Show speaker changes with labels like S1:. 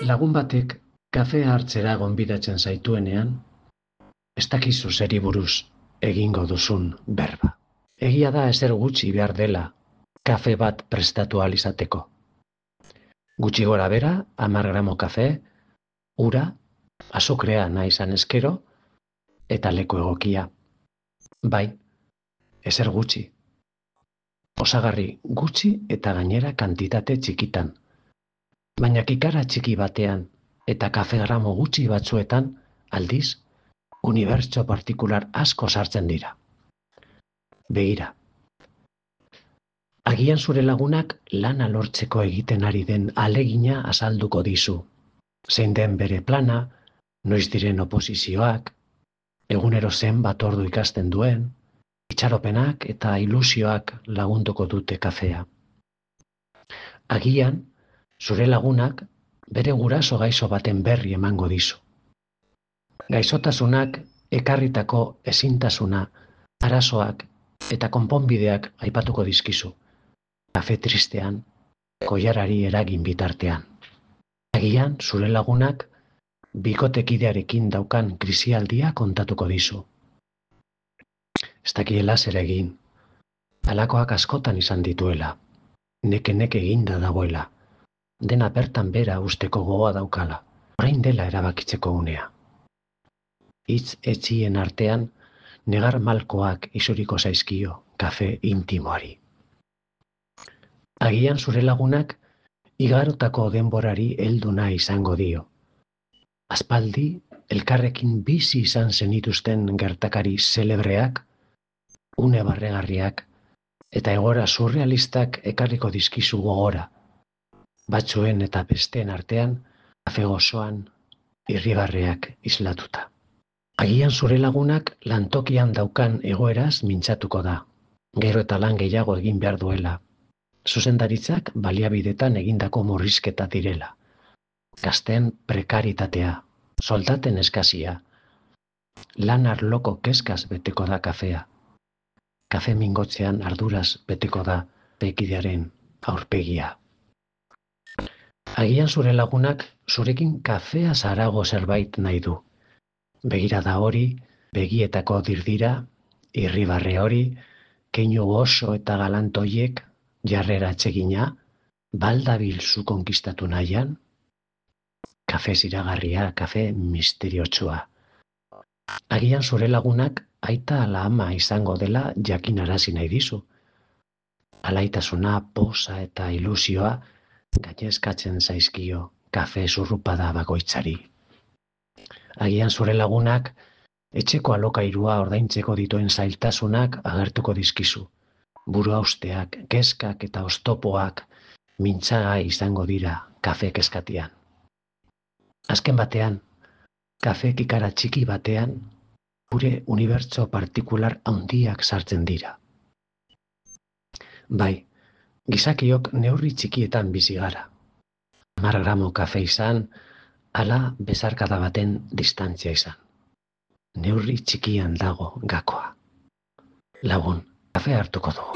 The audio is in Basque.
S1: Lagun batek kafea hartzera gonbidatzen zaituenean, ez dakizu zeri buruz egingo duzun berba. Egia da ezer gutxi behar dela kafe bat prestatu ahal izateko. Gutxi gora bera, 10 gramo kafe, ura, azukrea nahi izan eskero, eta leku egokia. Bai, ezer gutxi. Osagarri gutxi eta gainera kantitate txikitan. Baina kikara txiki batean eta kafe gramo gutxi batzuetan, aldiz, unibertso partikular asko sartzen dira. Begira. Agian zure lagunak lana lortzeko egiten ari den ahalegina azalduko dizu. Zein den bere plana, noiz diren oposizioak, egunero zenbat ordu ikasten duen, itxaropenak eta ilusioak lagunduko dute kafea. Agian, zure lagunak bere guraso gaixo baten berri emango dizu. Gaixotasunak ekarritako ezintasuna, arazoak eta konponbideak aipatuko dizkizu. Kafe tristean, koilarari eragin bitartean. Agian, zure lagunak bikotekidearekin daukan krisialdia kontatuko dizu. Ez dakiela zer egin. Halakoak askotan izan dituela. Neke eginda dagoela. Dena bertan bera usteko gogoa daukala. Orain dela erabakitzeko unea. Hitz etxien artean, negar malkoak isuriko zaizkio kafe intimoari. Agian zure lagunak igarotako denborari heldu nahi izango dio. Aspaldi, elkarrekin bizi izan zenituzten gertakari zelebreak, une barregarriak eta egoera surrealistak ekarriko dizkizu gogora. Batzuen eta besteen artean, kafe gozoan, irribarreak islatuta. Agian zure lagunak lantokian daukan egoeraz mintzatuko da. Gero eta lan gehiago egin behar duela. Zuzendaritzak baliabidetan egindako murrizketa direla. Gazteen prekaritatea, soldaten eskazia. Lan arloko kezkaz beteko da kafea. Kafe mingotzean arduraz beteko da bekidearen aurpegia. Agian zure lagunak zurekin kafea zarago zerbait nahi du. Begirada hori, begietako dirdira, irribarre hori, keinu oso eta galantoiek, jarrera atsegina, baldabil zu konkistatu nahian, kafe ziragarria, kafe misteriotsua. Agian zure lagunak aita ala ama izango dela jakinarazi nahi dizu. Alaitasuna, posa eta ilusioa gainezkatzen zaizkio kafe zurrupada bakoitzari. Agian zure lagunak etxeko alokairua ordaintzeko dituen zailtasunak agertuko dizkizu. Buru hausteak, kezkak eta oztopoak mintzagai izango dira kafe kezkatian. Azken batean, kafe kikara txiki batean, gure unibertso partikular handiak sartzen dira. Bai, gizakiok neurri txikietan bizi gara. 10 gramo kafe izan, ala bezarkada baten distantzia izan. Neurri txikian dago gakoa. Lagun, kafe hartuko dugu.